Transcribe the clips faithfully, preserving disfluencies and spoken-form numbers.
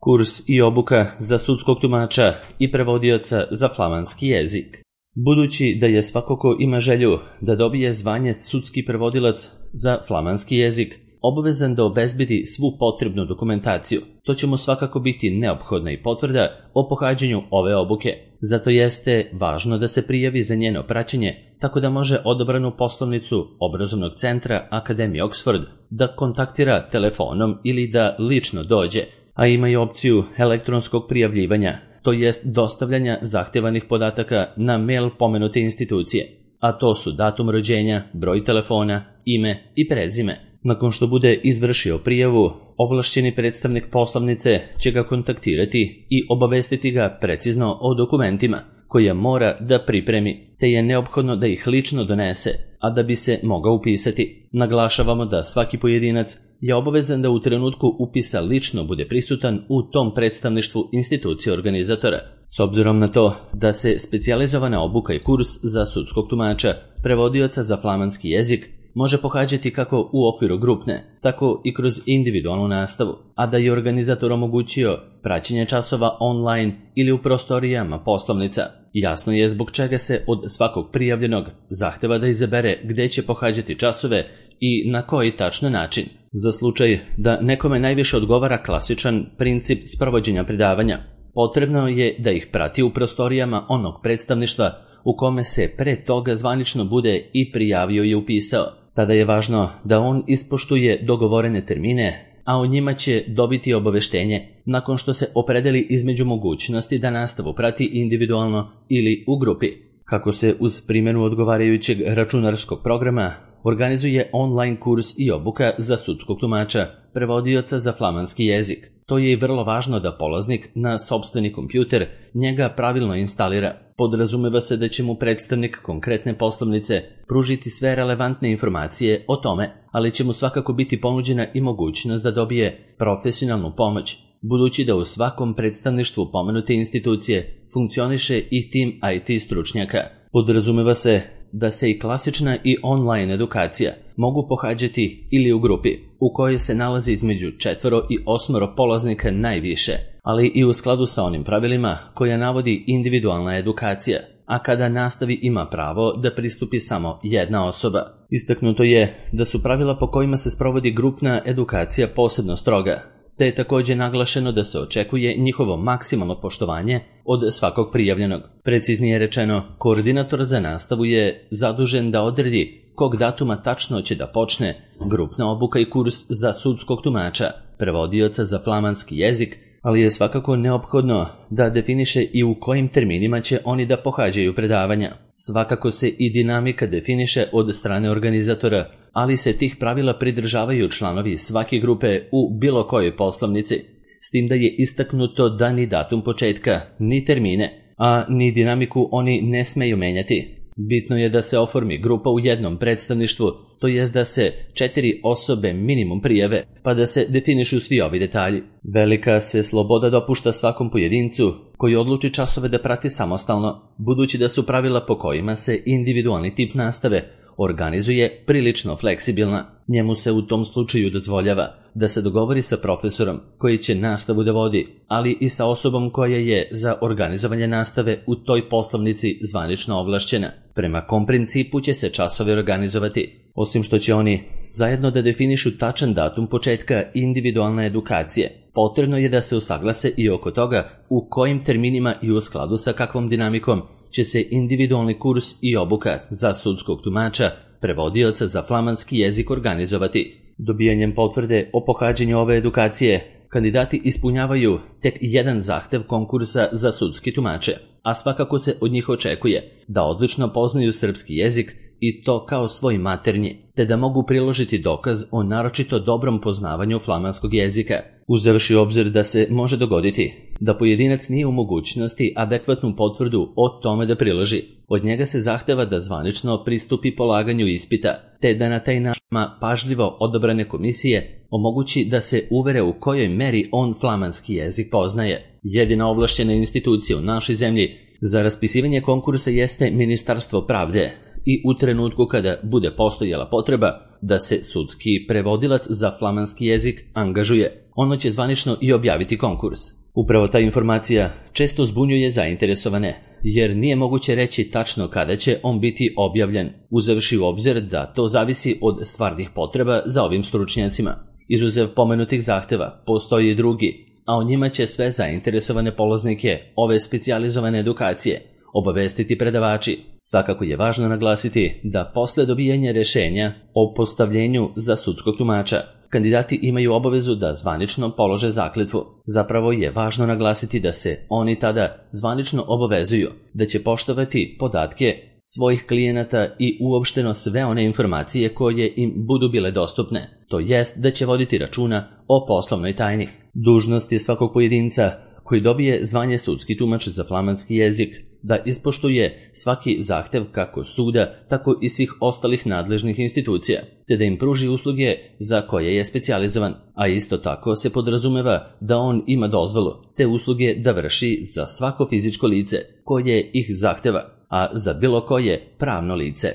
Kurs i obuka za sudskog tumača i prevodioca za flamanski jezik. Budući da je svako ko ima želju da dobije zvanje sudski prevodilac za flamanski jezik, obavezan da obezbedi svu potrebnu dokumentaciju. To će mu svakako biti neophodna i potvrda o pohađanju ove obuke. Zato jeste važno da se prijavi za njeno praćenje, tako da može odabranu poslovnicu obrazovnog centra Akademije Oxford da kontaktira telefonom ili da lično dođe, a ima i opciju elektronskog prijavljivanja, to jest dostavljanja zahtevanih podataka na mail pomenute institucije, a to su datum rođenja, broj telefona, ime i prezime. Nakon što bude izvršio prijavu, ovlašćeni predstavnik poslovnice će ga kontaktirati i obavestiti ga precizno o dokumentima koje mora da pripremi, te je neophodno da ih lično donese, a da bi se mogao upisati. Naglašavamo da svaki pojedinac je obavezan da u trenutku upisa lično bude prisutan u tom predstavništvu institucije organizatora. S obzirom na to da se specijalizovana obuka i kurs za sudskog tumača, prevodioca za flamanski jezik, može pohađati kako u okviru grupne, tako i kroz individualnu nastavu, a da je organizator omogućio praćenje časova online ili u prostorijama poslovnica. Jasno je zbog čega se od svakog prijavljenog zahteva da izabere gde će pohađati časove i na koji tačno način. Za slučaj da nekome najviše odgovara klasičan princip sprovođenja predavanja, potrebno je da ih prati u prostorijama onog predstavništva u kome se pre toga zvanično bude i prijavio i upisao. Tada je važno da on ispoštuje dogovorene termine, a o njima će dobiti obaveštenje nakon što se opredeli između mogućnosti da nastavu prati individualno ili u grupi. Kako se uz primjenu odgovarajućeg računarskog programa organizuje online kurs i obuka za sudskog tumača, prevodioca za flamanski jezik. To je i vrlo važno da polaznik na sopstveni kompjuter njega pravilno instalira. Podrazumeva se da će mu predstavnik konkretne poslovnice pružiti sve relevantne informacije o tome, ali će mu svakako biti ponuđena i mogućnost da dobije profesionalnu pomoć, budući da u svakom predstavništvu pomenute institucije funkcioniše i tim I T stručnjaka. Podrazumeva se da se i klasična i online edukacija mogu pohađati ili u grupi, u kojoj se nalazi između četvoro i osmoro polaznika najviše, ali i u skladu sa onim pravilima koja navodi individualna edukacija, a kada nastavi ima pravo da pristupi samo jedna osoba. Istaknuto je da su pravila po kojima se sprovodi grupna edukacija posebno stroga, te je također naglašeno da se očekuje njihovo maksimalno poštovanje od svakog prijavljenog. Preciznije rečeno, koordinator za nastavu je zadužen da odredi kog datuma tačno će da počne grupna obuka i kurs za sudskog tumača, prevodioca za flamanski jezik, ali je svakako neophodno da definiše i u kojim terminima će oni da pohađaju predavanja. Svakako se i dinamika definiše od strane organizatora, ali se tih pravila pridržavaju članovi svake grupe u bilo kojoj poslovnici, s tim da je istaknuto da ni datum početka, ni termine, a ni dinamiku oni ne smeju menjati. Bitno je da se oformi grupa u jednom predstavništvu, to jest da se četiri osobe minimum prijave, pa da se definišu svi ovi detalji. Velika se sloboda dopušta svakom pojedincu koji odluči časove da prati samostalno, budući da su pravila po kojima se individualni tip nastave organizuje prilično fleksibilna. Njemu se u tom slučaju dozvoljava da se dogovori sa profesorom koji će nastavu da vodi, ali i sa osobom koja je za organizovanje nastave u toj poslovnici zvanično ovlašćena. Prema kom principu će se časovi organizovati? Osim što će oni zajedno da definišu tačan datum početka individualne edukacije, potrebno je da se usaglase i oko toga u kojim terminima i u skladu sa kakvom dinamikom će se individualni kurs i obuka za sudskog tumača, prevodioca za flamanski jezik organizovati. Dobijanjem potvrde o pohađanju ove edukacije, kandidati ispunjavaju tek jedan zahtev konkursa za sudski tumače, a svakako se od njih očekuje da odlično poznaju srpski jezik i to kao svoj maternji, te da mogu priložiti dokaz o naročito dobrom poznavanju flamanskog jezika. Uzevši u obzir da se može dogoditi da pojedinac nije u mogućnosti adekvatnu potvrdu o tome da priloži, od njega se zahteva da zvanično pristupi polaganju ispita, te da na taj način pažljivo odabrane komisije omogući da se uvere u kojoj meri on flamanski jezik poznaje. Jedina ovlašćena institucija u našoj zemlji za raspisivanje konkursa jeste Ministarstvo pravde i u trenutku kada bude postojala potreba da se sudski prevodilac za flamanski jezik angažuje, ono će zvanično i objaviti konkurs. Upravo ta informacija često zbunjuje zainteresovane, jer nije moguće reći tačno kada će on biti objavljen, uzevši u obzir da to zavisi od stvarnih potreba za ovim stručnjacima. Izuzev pomenutih zahteva, postoji i drugi, a o njima će sve zainteresovane polaznike ove specijalizovane edukacije obavestiti predavači. Svakako je važno naglasiti da posle dobijanja rešenja o postavljenju za sudskog tumača, kandidati imaju obavezu da zvanično polože zakletvu. Zapravo je važno naglasiti da se oni tada zvanično obavezuju da će poštovati podatke svojih klijenata i uopšteno sve one informacije koje im budu bile dostupne, to jest da će voditi računa o poslovnoj tajni. Dužnost je svakog pojedinca koji dobije zvanje sudski tumač za flamanski jezik da ispoštuje svaki zahtev kako suda, tako i svih ostalih nadležnih institucija, te da im pruži usluge za koje je specijalizovan, a isto tako se podrazumeva da on ima dozvolu te usluge da vrši za svako fizičko lice koje ih zahteva, a za bilo koje pravno lice.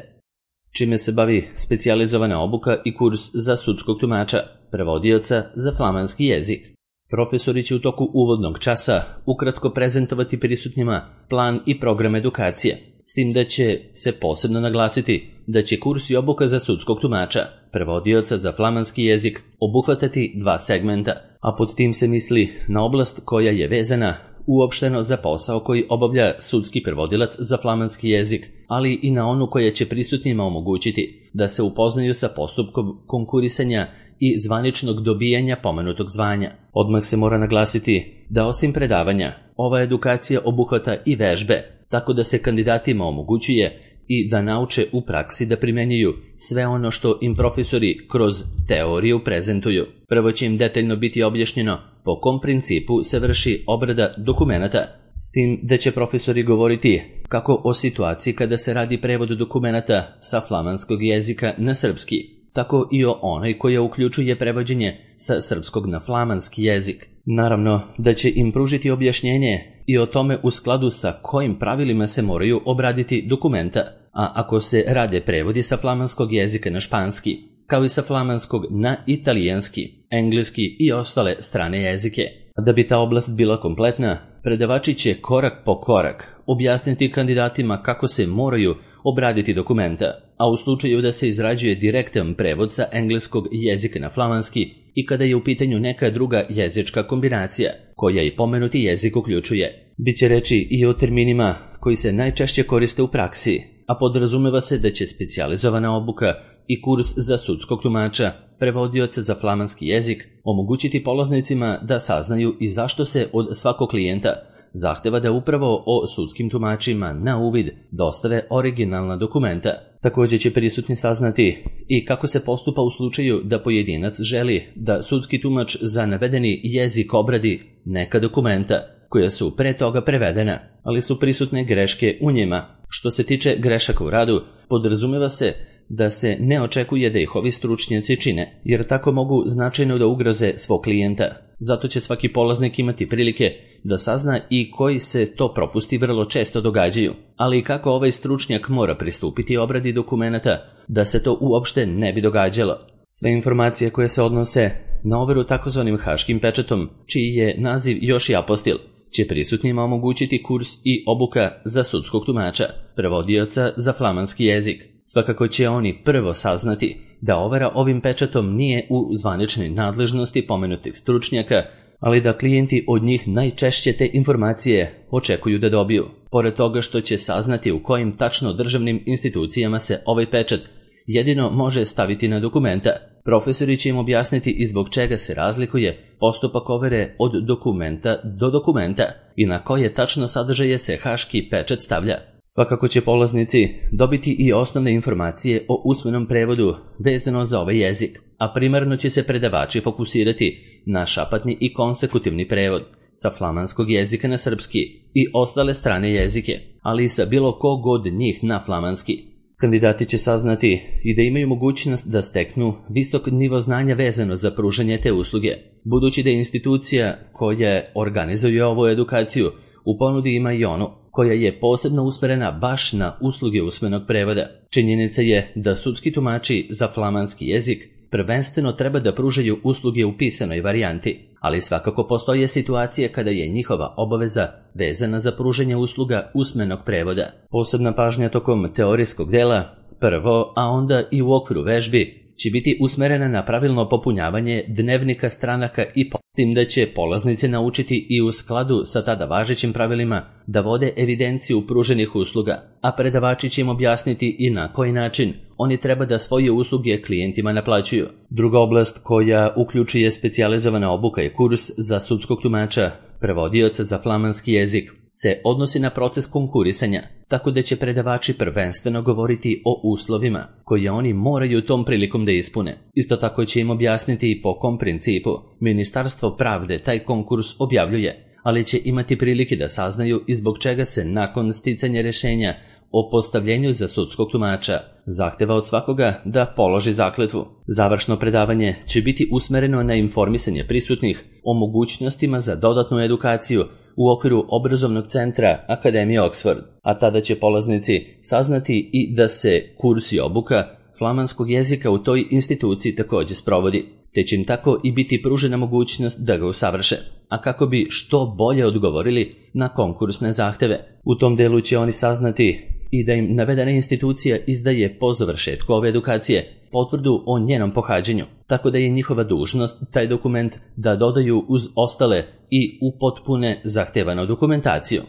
Čime se bavi specijalizovana obuka i kurs za sudskog tumača, prevodioca za flamanski jezik. Profesori će u toku uvodnog časa ukratko prezentovati prisutnima plan i program edukacije, s tim da će se posebno naglasiti da će kurs i obuka za sudskog tumača, prevodioca za flamanski jezik, obuhvatati dva segmenta, a pod tim se misli na oblast koja je vezana uopšteno za posao koji obavlja sudski prevodilac za flamanski jezik, ali i na onu koja će prisutnima omogućiti da se upoznaju sa postupkom konkurisanja i zvaničnog dobijanja pomenutog zvanja. Odmah se mora naglasiti da osim predavanja, ova edukacija obuhvata i vežbe, tako da se kandidatima omogućuje i da nauče u praksi da primenjuju sve ono što im profesori kroz teoriju prezentuju. Prvo će im detaljno biti objašnjeno po kom principu se vrši obrada dokumenata, s tim da će profesori govoriti kako o situaciji kada se radi prevod dokumenata sa flamanskog jezika na srpski, tako i o onoj koja uključuje prevođenje sa srpskog na flamanski jezik. Naravno da će im pružiti objašnjenje i o tome u skladu sa kojim pravilima se moraju obraditi dokumenta, a ako se rade prevodi sa flamanskog jezika na španski, kao i sa flamanskog na italijanski, engleski i ostale strane jezike. Da bi ta oblast bila kompletna, predavači će korak po korak objasniti kandidatima kako se moraju obraditi dokumenta, a u slučaju da se izrađuje direktan prevod sa engleskog jezika na flamanski i kada je u pitanju neka druga jezička kombinacija, koja i pomenuti jezik uključuje. Biće reči i o terminima koji se najčešće koriste u praksi, a podrazumeva se da će specijalizovana obuka i kurs za sudskog tumača, prevodioca za flamanski jezik, omogućiti polaznicima da saznaju i zašto se od svakog klijenta zahteva da upravo o sudskim tumačima na uvid dostave originalna dokumenta. Također će prisutni saznati i kako se postupa u slučaju da pojedinac želi da sudski tumač za navedeni jezik obradi neka dokumenta koja su pre toga prevedena, ali su prisutne greške u njima. Što se tiče grešaka u radu, podrazumeva se da se ne očekuje da ih ovi stručnjaci čine, jer tako mogu značajno da ugroze svog klijenta. Zato će svaki polaznik imati prilike da sazna i koji se to propusti vrlo često događaju, ali i kako ovaj stručnjak mora pristupiti obradi dokumenata da se to uopšte ne bi događalo. Sve informacije koje se odnose na overu takozvanim haškim pečatom, čiji je naziv još i apostil, će prisutnima omogućiti kurs i obuka za sudskog tumača, prevodioca za flamanski jezik. Svakako će oni prvo saznati da overa ovim pečatom nije u zvaničnoj nadležnosti pomenutih stručnjaka, ali da klijenti od njih najčešće te informacije očekuju da dobiju. Pored toga što će saznati u kojim tačno državnim institucijama se ovaj pečat jedino može staviti na dokumenta, profesori će im objasniti i zbog čega se razlikuje postupak overe od dokumenta do dokumenta i na koje tačno sadržaje se haški pečat stavlja. Svakako će polaznici dobiti i osnovne informacije o usmenom prevodu vezano za ovaj jezik, a primarno će se predavači fokusirati na šapatni i konsekutivni prevod sa flamanskog jezika na srpski i ostale strane jezike, ali i sa bilo kog od njih na flamanski. Kandidati će saznati i da imaju mogućnost da steknu visok nivo znanja vezano za pružanje te usluge, budući da je institucija koja organizuje ovu edukaciju u ponudi ima i onu koja je posebno usmerena baš na usluge usmenog prevoda. Činjenica je da sudski tumači za flamanski jezik prvenstveno treba da pružaju usluge u pisanoj varijanti, ali svakako postoje situacije kada je njihova obaveza vezana za pružanje usluga usmenog prevoda. Posebna pažnja tokom teorijskog dela, prvo, a onda i u okviru vežbi, će biti usmerena na pravilno popunjavanje dnevnika stranaka i po tim da će polaznici naučiti i u skladu sa tada važećim pravilima da vode evidenciju pruženih usluga, a predavači će im objasniti i na koji način oni treba da svoje usluge klijentima naplaćuju. Druga oblast koja uključuje specijalizovana obuka i kurs za sudskog tumača, prevodioca za flamanski jezik, se odnosi na proces konkurisanja, tako da će predavači prvenstveno govoriti o uslovima koje oni moraju tom prilikom da ispune. Isto tako će im objasniti i po kom principu Ministarstvo pravde taj konkurs objavljuje, ali će imati prilike da saznaju i zbog čega se nakon sticanja rješenja o postavljenju za sudskog tumača zahteva od svakoga da položi zakletvu. Završno predavanje će biti usmereno na informisanje prisutnih o mogućnostima za dodatnu edukaciju u okviru obrazovnog centra Akademije Oxford, a tada će polaznici saznati i da se kurs i obuka flamanskog jezika u toj instituciji također sprovodi, te će im tako i biti pružena mogućnost da ga usavrše, a kako bi što bolje odgovorili na konkursne zahteve. U tom delu će oni saznati i da im navedena institucija izdaje po završetku ove edukacije potvrdu o njenom pohađanju, tako da je njihova dužnost taj dokument da dodaju uz ostale i upotpune zahtevanu dokumentaciju,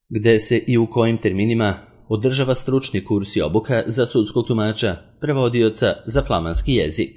gde se i u kojim terminima održava stručni kurs i obuka za sudskog tumača, prevodioca za flamanski jezik.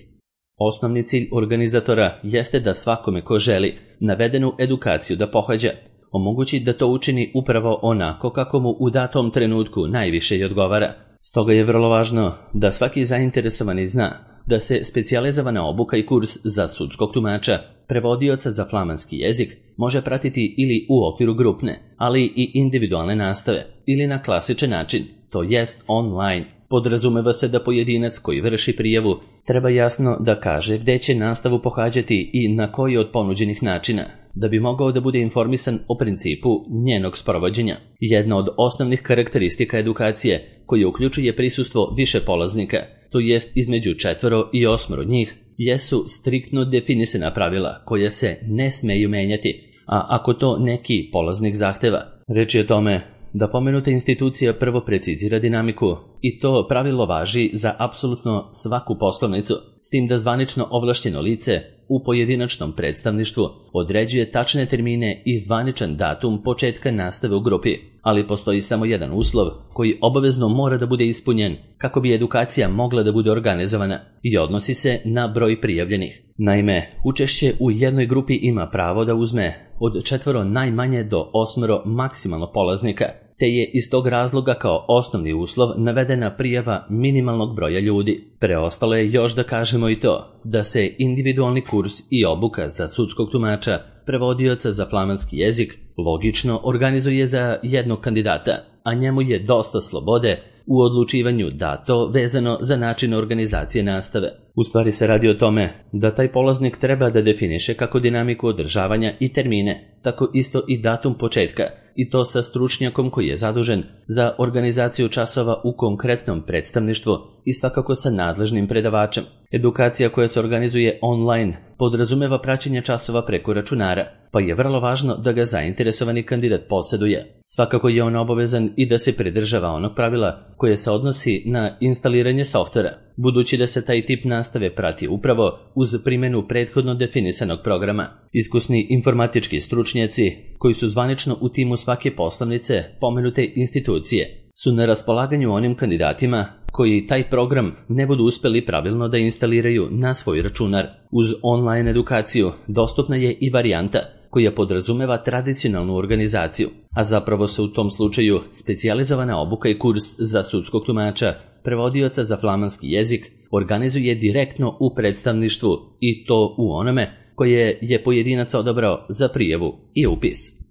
Osnovni cilj organizatora jeste da svakome ko želi navedenu edukaciju da pohađa, omogući da to učini upravo onako kako mu u datom trenutku najviše i odgovara. Stoga je vrlo važno da svaki zainteresovani zna da se specijalizovana obuka i kurs za sudskog tumača, prevodioca za flamanski jezik može pratiti ili u okviru grupne, ali i individualne nastave, ili na klasičan način, to jest online. Podrazumeva se da pojedinac koji vrši prijavu treba jasno da kaže gde će nastavu pohađati i na koji od ponuđenih načina, da bi mogao da bude informisan o principu njenog sprovođenja. Jedna od osnovnih karakteristika edukacije, koja uključuje prisustvo više polaznika, to jest između četvoro i osmoro njih, jesu striktno definisana pravila koja se ne smeju menjati, a ako to neki polaznik zahteva. Reč je o tome da pomenuta institucija prvo precizira dinamiku i to pravilo važi za apsolutno svaku poslovnicu, s tim da zvanično ovlašćeno lice u pojedinačnom predstavništvu određuje tačne termine i zvaničan datum početka nastave u grupi, ali postoji samo jedan uslov koji obavezno mora da bude ispunjen kako bi edukacija mogla da bude organizovana i odnosi se na broj prijavljenih. Naime, učešće u jednoj grupi ima pravo da uzme od četvoro najmanje do osmoro maksimalno polaznika, te je iz tog razloga kao osnovni uslov navedena prijava minimalnog broja ljudi. Preostalo je još da kažemo i to da se individualni kurs i obuka za sudskog tumača, prevodioca za flamanski jezik, logično organizuje za jednog kandidata, a njemu je dosta slobode u odlučivanju dato vezano za način organizacije nastave. U stvari se radi o tome da taj polaznik treba da definiše kako dinamiku održavanja i termine, tako isto i datum početka, i to sa stručnjakom koji je zadužen za organizaciju časova u konkretnom predstavništvu i svakako sa nadležnim predavačem. Edukacija koja se organizuje online podrazumeva praćenje časova preko računara, pa je vrlo važno da ga zainteresovani kandidat posjeduje. Svakako je on obavezan i da se pridržava onog pravila koje se odnosi na instaliranje softvera, budući da se taj tip nastave prati upravo uz primjenu prethodno definisanog programa. Iskusni informatički stručnjaci koji su zvanično u timu svake poslovnice pomenute institucije su na raspolaganju onim kandidatima koji taj program ne budu uspeli pravilno da instaliraju na svoj računar. Uz online edukaciju dostupna je i varijanta koja podrazumeva tradicionalnu organizaciju, a zapravo se u tom slučaju specijalizovana obuka i kurs za sudskog tumača, prevodioca za flamanski jezik, organizuje direktno u predstavništvu i to u onome koje je pojedinac odabrao za prijavu i upis.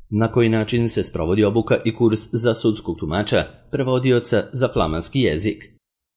Na koji način se sprovodi obuka i kurs za sudskog tumača, prevodioca za flamanski jezik?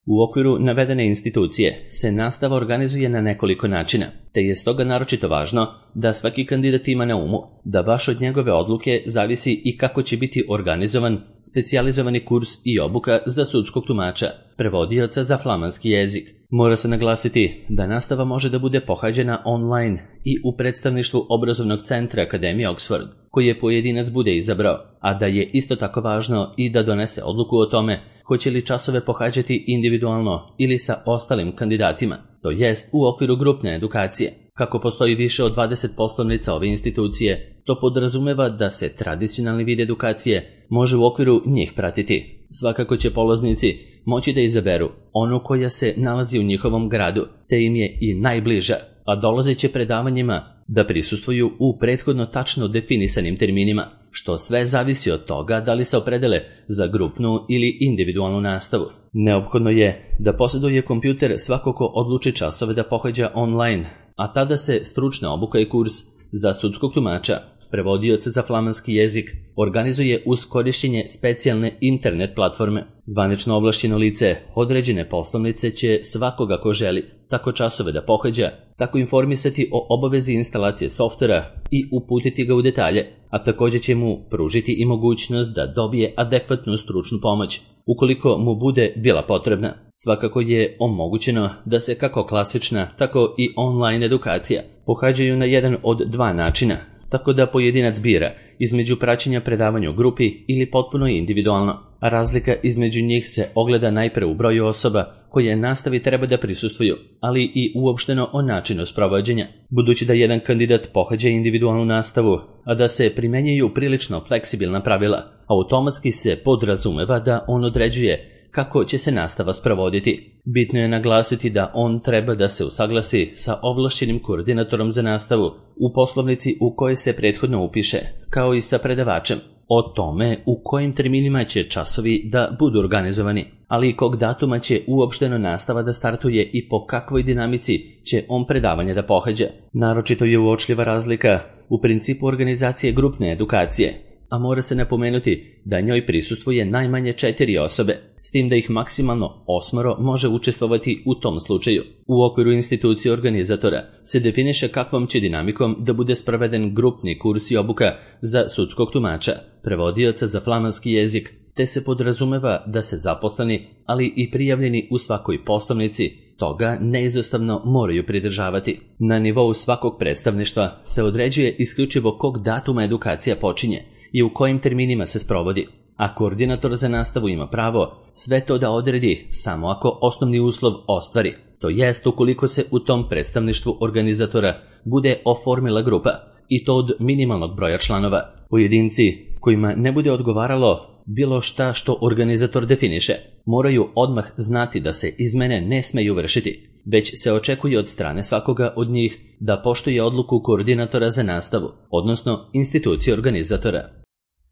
U okviru navedene institucije se nastava organizuje na nekoliko načina, te je stoga naročito važno da svaki kandidat ima na umu da baš od njegove odluke zavisi i kako će biti organizovan specijalizovani kurs i obuka za sudskog tumača, prevodioca za flamanski jezik. Mora se naglasiti da nastava može da bude pohađena online i u predstavništvu obrazovnog centra Akademije Oxford, koji je pojedinac bude izabrao, a da je isto tako važno i da donese odluku o tome hoće li časove pohađati individualno ili sa ostalim kandidatima, to jest u okviru grupne edukacije. Kako postoji više od dvadeset poslovnica ove institucije, to podrazumeva da se tradicionalni vid edukacije može u okviru njih pratiti. Svakako će polaznici moći da izaberu onu koja se nalazi u njihovom gradu, te im je i najbliža, a dolazeće predavanjima da prisustvuju u prethodno tačno definisanim terminima, što sve zavisi od toga da li se opredele za grupnu ili individualnu nastavu. Neophodno je da posjeduje kompjuter svako ko odluči časove da pohađa online, a tada se stručna obuka i kurs za sudskog tumača, prevodioca za flamanski jezik, organizuje uz korišćenje specijalne internet platforme. Zvanično ovlašćeno lice određene poslovnice će svakoga ko želi tako časove da pohađa, tako informisati o obavezi instalacije softvera i uputiti ga u detalje, a također će mu pružiti i mogućnost da dobije adekvatnu stručnu pomoć, ukoliko mu bude bila potrebna. Svakako je omogućeno da se kako klasična, tako i online edukacija pohađaju na jedan od dva načina, tako da pojedinac bira između praćenja predavanja u grupi ili potpuno individualno, a razlika između njih se ogleda najpre u broju osoba koje nastavi treba da prisustvuju, ali i uopšteno o načinu sprovođenja. Budući da jedan kandidat pohađa individualnu nastavu, a da se primenjuju prilično fleksibilna pravila, automatski se podrazumeva da on određuje kako će se nastava sprovoditi. Bitno je naglasiti da on treba da se usaglasi sa ovlašćenim koordinatorom za nastavu u poslovnici u kojoj se prethodno upiše, kao i sa predavačem, o tome u kojim terminima će časovi da budu organizovani, ali i kog datuma će uopšteno nastava da startuje i po kakvoj dinamici će on predavanje da pohađa. Naročito je uočljiva razlika u principu organizacije grupne edukacije, a mora se napomenuti da njoj prisustvuje najmanje četiri osobe, s tim da ih maksimalno osmoro može učestvovati u tom slučaju. U okviru institucije organizatora se definiše kakvom će dinamikom da bude sproveden grupni kurs i obuka za sudskog tumača, prevodioca za flamanski jezik, te se podrazumeva da se zaposleni, ali i prijavljeni u svakoj poslovnici toga neizostavno moraju pridržavati. Na nivou svakog predstavništva se određuje isključivo kog datuma edukacija počinje i u kojim terminima se sprovodi, a koordinator za nastavu ima pravo sve to da odredi samo ako osnovni uslov ostvari, to jest ukoliko se u tom predstavništvu organizatora bude oformila grupa, i to od minimalnog broja članova. Pojedinci kojima ne bude odgovaralo bilo šta što organizator definiše, moraju odmah znati da se izmene ne smeju vršiti, već se očekuje od strane svakoga od njih da poštuje odluku koordinatora za nastavu, odnosno institucije organizatora.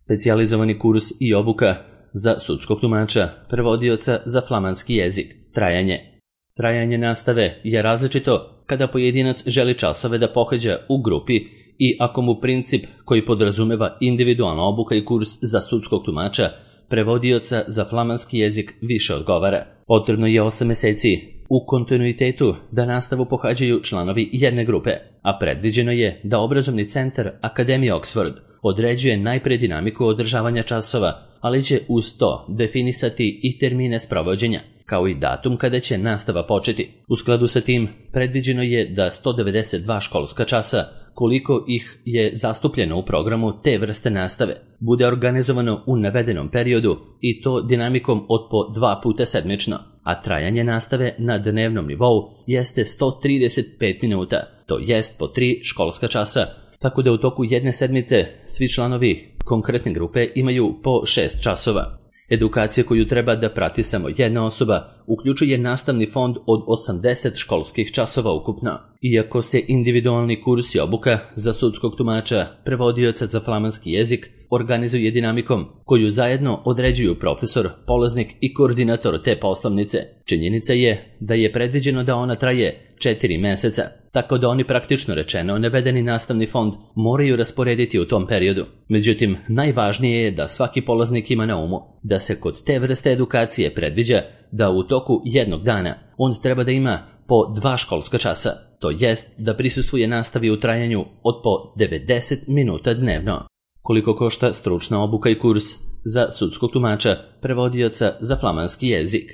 Specijalizovani kurs i obuka za sudskog tumača, prevodioca za flamanski jezik. Trajanje. Trajanje nastave je različito kada pojedinac želi časove da pohađa u grupi i ako mu princip koji podrazumeva individualna obuka i kurs za sudskog tumača, prevodioca za flamanski jezik više odgovara. Potrebno je osam meseci u kontinuitetu da nastavu pohađaju članovi jedne grupe, a predviđeno je da obrazovni centar Akademije Oxford određuje najpre dinamiku održavanja časova, ali će uz to definisati i termine sprovođenja, kao i datum kada će nastava početi. U skladu sa tim, predviđeno je da sto devedeset dva školska časa, koliko ih je zastupljeno u programu te vrste nastave, bude organizovano u navedenom periodu i to dinamikom od po dva puta sedmično, a trajanje nastave na dnevnom nivou jeste sto trideset pet minuta, to jest po tri školska časa, tako da u toku jedne sedmice svi članovi konkretne grupe imaju po šest časova. Edukacija koju treba da prati samo jedna osoba uključuje nastavni fond od osamdeset školskih časova ukupno. Iako se individualni kurs i obuka za sudskog tumača, prevodioca za flamanski jezik organizuje dinamikom koju zajedno određuju profesor, polaznik i koordinator te poslovnice. Činjenica je da je predviđeno da ona traje četiri meseca, tako da oni praktično rečeno navedeni nastavni fond moraju rasporediti u tom periodu. Međutim, najvažnije je da svaki polaznik ima na umu da se kod te vrste edukacije predviđa da u toku jednog dana on treba da ima po dva školska časa, to jest da prisustvuje nastavi u trajanju od po devedeset minuta dnevno. Koliko košta stručna obuka i kurs za sudskog tumača, prevodioca za flamanski jezik?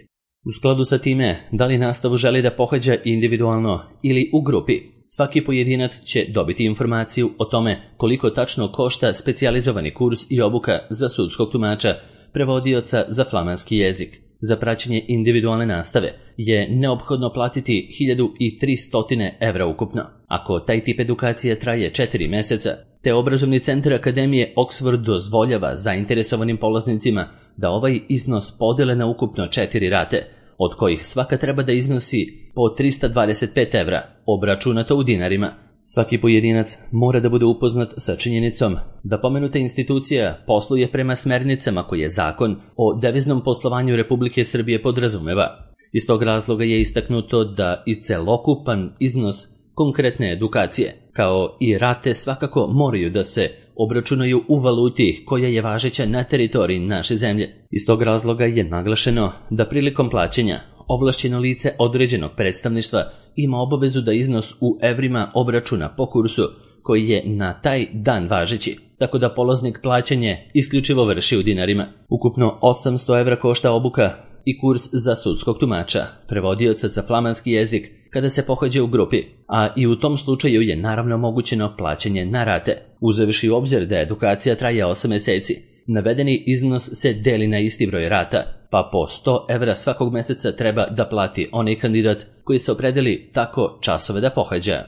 U skladu sa time, da li nastavu želi da pohađa individualno ili u grupi, svaki pojedinac će dobiti informaciju o tome koliko tačno košta specijalizovani kurs i obuka za sudskog tumača, prevodioca za flamanski jezik. Za praćenje individualne nastave je neophodno platiti hiljadu tristo evra ukupno. Ako taj tip edukacije traje četiri meseca, te obrazovni centar Akademije Oxford dozvoljava zainteresovanim polaznicima da ovaj iznos podele na ukupno četiri rate, od kojih svaka treba da iznosi po trista dvadeset pet evra, obračunato u dinarima. Svaki pojedinac mora da bude upoznat sa činjenicom da pomenuta institucija posluje prema smernicama koje zakon o deviznom poslovanju Republike Srbije podrazumeva. Iz tog razloga je istaknuto da i celokupan iznos konkretne edukacije, kao i rate svakako moraju da se obračunaju u valuti koja je važeća na teritoriji naše zemlje. Iz tog razloga je naglašeno da prilikom plaćanja ovlašćeno lice određenog predstavništva ima obavezu da iznos u evrima obračuna po kursu koji je na taj dan važeći, tako da polaznik plaćanje isključivo vrši u dinarima. Ukupno osamsto evra košta obuka i kurs za sudskog tumača, prevodioca za flamanski jezik kada se pohađa u grupi, a i u tom slučaju je naravno omogućeno plaćanje na rate, uzevši u obzir da edukacija traje osam meseci. Navedeni iznos se deli na isti broj rata, pa po sto evra svakog meseca treba da plati onaj kandidat koji se opredeli tako časove da pohađa.